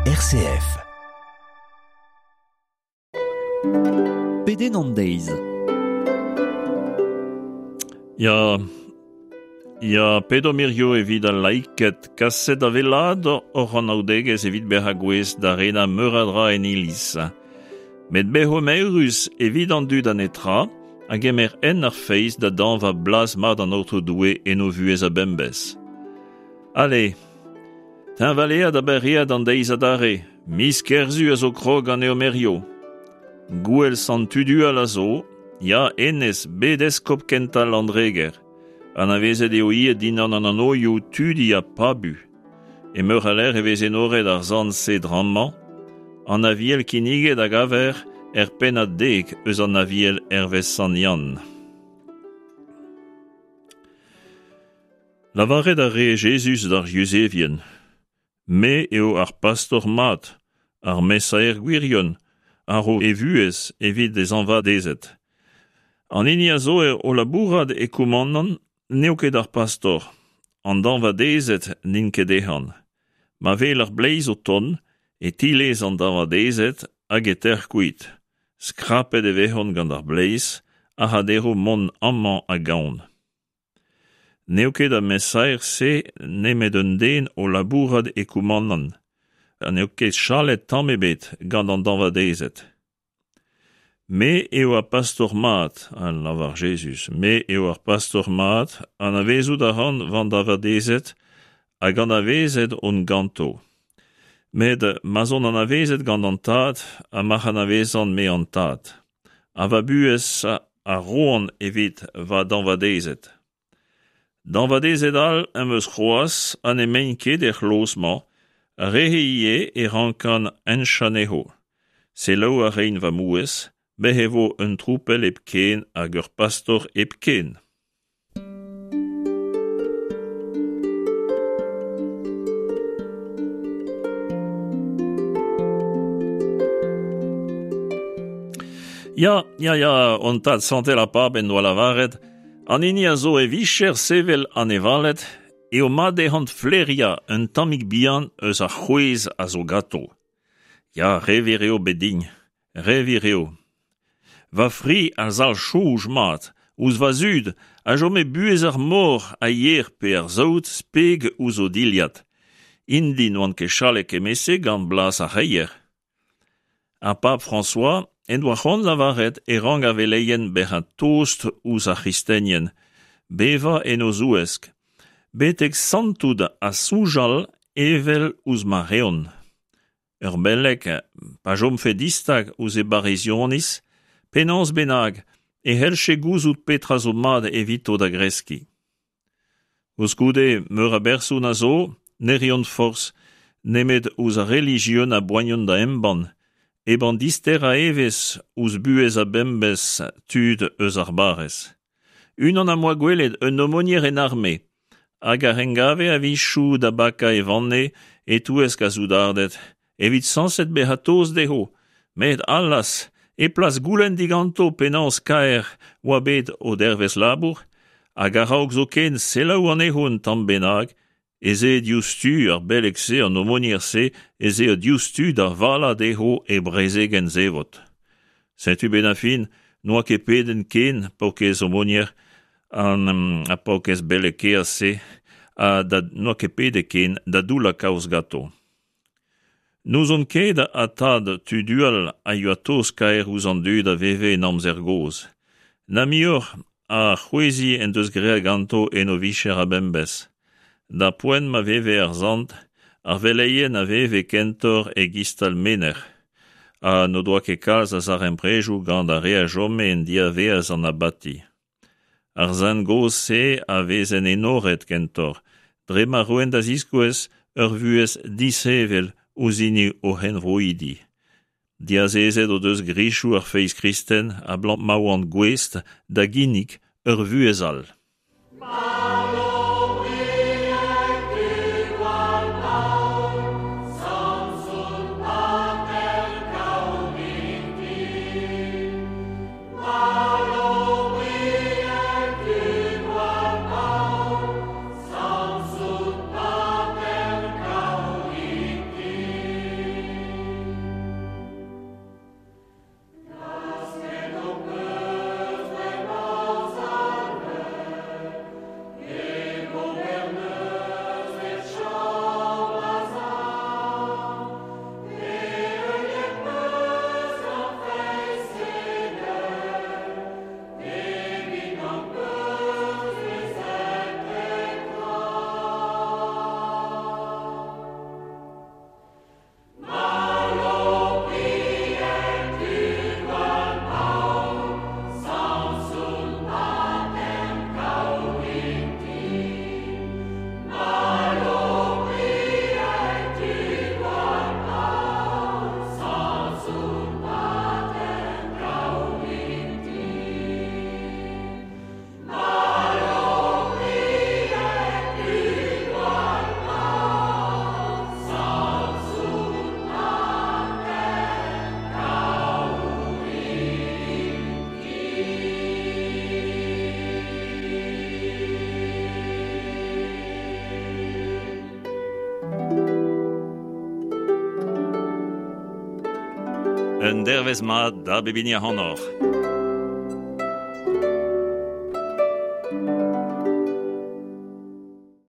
RCF. Pedenn an deiz. Ya, ya, pedomp hirio evit al laiked kaset da wellaat hoc'h anaoudegezh evit bezañ gouest da renañ meur a dra en iliz. Met bezomp eürus evit an dud a netra a gemer hent ar feiz da dañva blaz mat an Aotrou Doue en o vuhez a-bemdez. Ale, teñvaleat ha berreat an deiz adarre, miz Kerzu a zo krog ganeomp hirio. Gouel Sant Tudual a zo, ya hennezh, bet eskob kentañ Landreger. Anavezet eo ivez dindan an anvioù Tudi ha Pabu. E meur a lec'h e vez enoret ar sant-se drammañ. An Aviel kinniget a gaver er pennad dek eus an Aviel hervez Sant Yann. Lavaret a ree Jezuz d'ar Yuzevien, Me eo ar pastor mat, ar mesaer gwirion, a ro e vuhez evit e zañvadezed. An hini a zo o labourat e koumanant n'eo ket ar pastor, an dañvadezed n'int ket dezhañ. Ma wel ar bleiz o tont, e tilez an dañvadezed hag e tec'h kuit. Skrapet e vezont gant ar bleiz a ra dezho mont amañ hag ahont. N'eo ket ar mesaer-se nemet un den o labourat e koumanant ha n'eo ket chalet tamm ebet gant an dañvadezed. Me eo ar pastor mat, a lavar Jezuz, me eo ar pastor mat, anavezout a ran va dañvadezed hag anavezet on ganto. Met ma'z on anavezet gant an Tad ha ma'c'h anavezan-me an Tad. Ha va buhez a roan evit va dañvadezed. Dañvadezed all am eus c'hoazh ha n'emaint ket er c'hloz-mañ, ar re-se ivez e rankan henchañ anezho. Selaou a raint va mouezh, bez' e vo un tropell hepken hag ur pastor hepken. Ya, ya, ya, hon tad santel ar pab en doa lavaret, an hini a zo e vicher sevel anevaled eo mat dezhañ flaeriañ un tammig bihan eus ar c'hwezh a zo ganto. Ya, re wir eo bet din, Re wir eo. Va fri a zalc'h soñj mat ouzh va zud a chome buhez ar mor a yer pe ar saout speg ouzh o dilhad. Int-i n'oant ket chalet kement-se gant blaz ar c'hreier. Ar pab François en doa c'hoant lavaret e rank ar veleien bezañ tost ouzh ar c'hristenien, bevañ en o zouesk, betek santout ha soñjal evel ouzh ma reont. Ur beleg, pa chomfe distag ouzh e barrezioniz, penaos bennak e c'hellje gouzout petra zo mat evito da greskiñ. Koulskoude, meur a berson a zo ne reont forzh nemet ouzh ar relijion a boaniont da embann, hep an disterañ evezh ouzh buhez a-bemdez tud eus ar barrez. Unan am boa gwelet, un aumônier en arme, hag a engave a-wechoù da bakañ e vanne e-touesk ar soudarded, evit sañset bezañ tost dezho, met allas, e plas goulenn diganto penaos kaer oa bet o dervezh labour, hag a-raok zoken selaou anezho un tamm bennak, ez eo diouzhtu ar beleg-se, an aumônier-se, ez eo diouzhtu da valañ dezho e brezegenn zevot. Setu benn ar fin n'oa ket pedenn ken paourkaezh aumônier an ar paourkaezh beleg kaezh-se ha da n'oa ket pedet ken da doullañ kaoz ganto. N'ouzon ket ha tad Tudual a yoa tost-kaer ouzh an dud a veve en amzer gozh. Na muioc'h a c'hwezhiñ en deus graet ganto en o vicher a-bemdez. D'ar poent ma veve ar sant, ar veleien a veve kentoc'h e-giz-tal menec'h, ha n'o doa ket kalz a zarempredoù gant ar re a chome en diavaez an abati. Ar sent gozh-se a vezent enoret kentoc'h, dre ma roent da ziskouez ur vuhez disheñvel ouzh hini o c'henvroidi. Diazezet o deus grizioù ar feiz kristen abalamour ma oant gouest da ginnig ur vuhez all. Un dervezh mat da bep hini ac'hanoc'h.